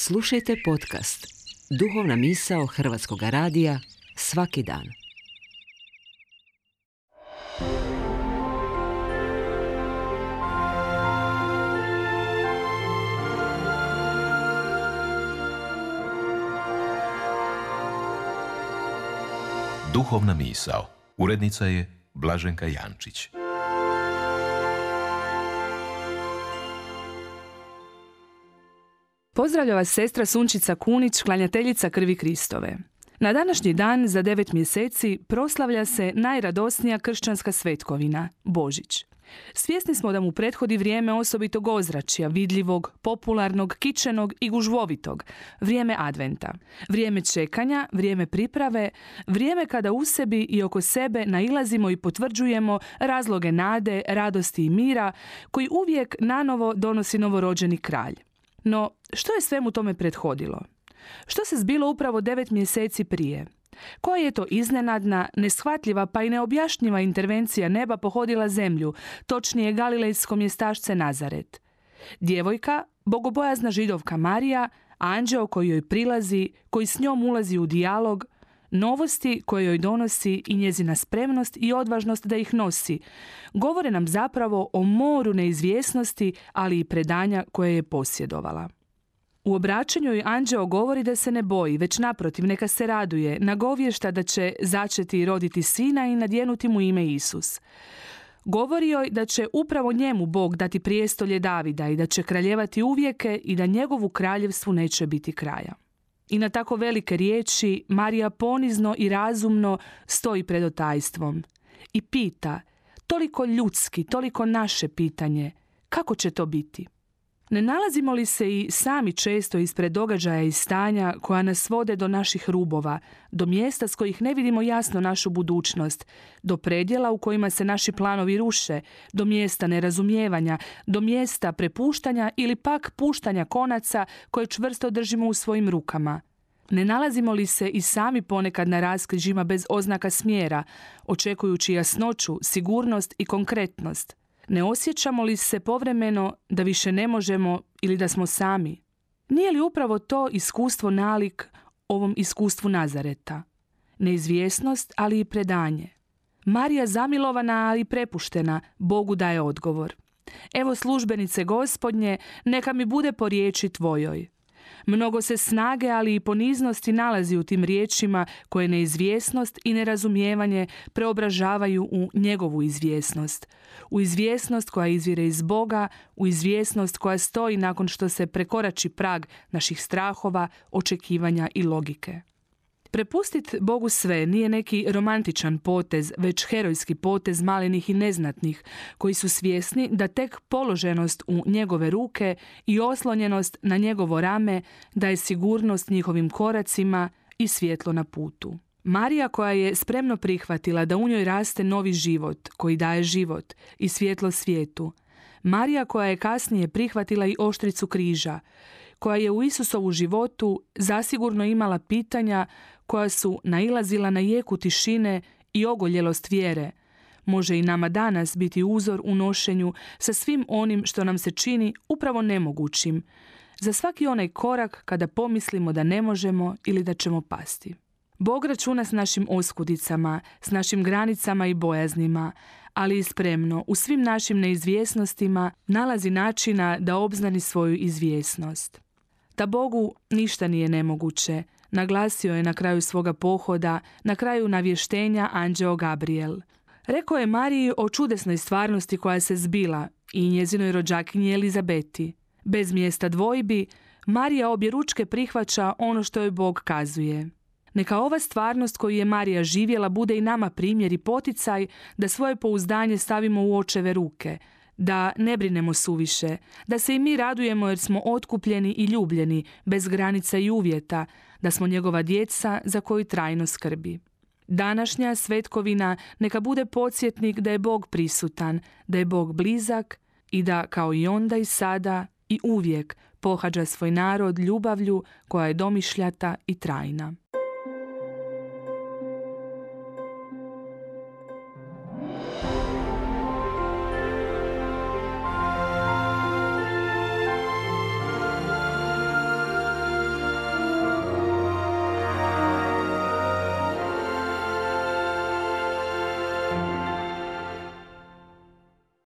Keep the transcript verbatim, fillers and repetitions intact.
Slušajte podcast Duhovna misao Hrvatskog radija svaki dan. Duhovna misao. Urednica je Blaženka Jančić. Pozdravlja vas sestra Sunčica Kunić, klanjateljica krvi Kristove. Na današnji dan za devet mjeseci proslavlja se najradosnija kršćanska svetkovina, Božić. Svjesni smo da mu prethodi vrijeme osobitog ozračja, vidljivog, popularnog, kičenog i gužvovitog, vrijeme adventa. Vrijeme čekanja, vrijeme priprave, vrijeme kada u sebi i oko sebe nailazimo i potvrđujemo razloge nade, radosti i mira koji uvijek nanovo donosi novorođeni kralj. No, što je svemu tome prethodilo? Što se zbilo upravo devet mjeseci prije? Koja je to iznenadna, neshvatljiva pa i neobjašnjiva intervencija neba pohodila zemlju, točnije galilejsko mjestašce Nazaret? Djevojka, bogobojazna židovka Marija, anđeo koji joj prilazi, koji s njom ulazi u dijalog, novosti koje joj donosi i njezina spremnost i odvažnost da ih nosi, govore nam zapravo o moru neizvjesnosti, ali i predanja koje je posjedovala. U obraćanju joj anđeo govori da se ne boji, već naprotiv neka se raduje, nagovješta da će začeti i roditi sina i nadjenuti mu ime Isus. Govori joj da će upravo njemu Bog dati prijestolje Davida i da će kraljevati uvijeke i da njegovu kraljevstvu neće biti kraja. I na tako velike riječi Marija ponizno i razumno stoji pred otajstvom i pita, toliko ljudski, toliko naše pitanje, kako će to biti? Ne nalazimo li se i sami često ispred događaja i stanja koja nas vode do naših rubova, do mjesta s kojih ne vidimo jasno našu budućnost, do predjela u kojima se naši planovi ruše, do mjesta nerazumijevanja, do mjesta prepuštanja ili pak puštanja konaca koje čvrsto držimo u svojim rukama? Ne nalazimo li se i sami ponekad na raskrižjima bez oznaka smjera, očekujući jasnoću, sigurnost i konkretnost? Ne osjećamo li se povremeno da više ne možemo ili da smo sami? Nije li upravo to iskustvo nalik ovom iskustvu Nazareta? Neizvjesnost, ali i predanje. Marija zamilovana, ali prepuštena, Bogu daje odgovor. Evo službenice Gospodnje, neka mi bude po riječi tvojoj. Mnogo se snage, ali i poniznosti nalazi u tim riječima koje neizvjesnost i nerazumijevanje preobražavaju u njegovu izvjesnost. U izvjesnost koja izvire iz Boga, u izvjesnost koja stoji nakon što se prekorači prag naših strahova, očekivanja i logike. Prepustit Bogu sve nije neki romantičan potez, već herojski potez malenih i neznatnih, koji su svjesni da tek položenost u njegove ruke i oslonjenost na njegovo rame daje sigurnost njihovim koracima i svjetlo na putu. Marija koja je spremno prihvatila da u njoj raste novi život, koji daje život i svjetlo svijetu. Marija koja je kasnije prihvatila i oštricu križa, koja je u Isusovu životu zasigurno imala pitanja koja su nailazila na jeku tišine i ogoljelost vjere, može i nama danas biti uzor u nošenju sa svim onim što nam se čini upravo nemogućim, za svaki onaj korak kada pomislimo da ne možemo ili da ćemo pasti. Bog računa s našim oskudicama, s našim granicama i bojaznima, ali i spremno u svim našim neizvjesnostima nalazi načina da obznani svoju izvjesnost. Da Bogu ništa nije nemoguće, naglasio je na kraju svoga pohoda, na kraju navještenja anđeo Gabriel. Rekao je Mariji o čudesnoj stvarnosti koja se zbila i njezinoj rođakinji Elizabeti. Bez mjesta dvojbi, Marija objeručke prihvaća ono što joj Bog kazuje. Neka ova stvarnost koju je Marija živjela bude i nama primjer i poticaj da svoje pouzdanje stavimo u očeve ruke, da ne brinemo suviše, da se i mi radujemo jer smo otkupljeni i ljubljeni, bez granica i uvjeta, da smo njegova djeca za koju trajno skrbi. Današnja svetkovina neka bude podsjetnik da je Bog prisutan, da je Bog blizak i da kao i onda i sada i uvijek pohađa svoj narod ljubavlju koja je domišljata i trajna.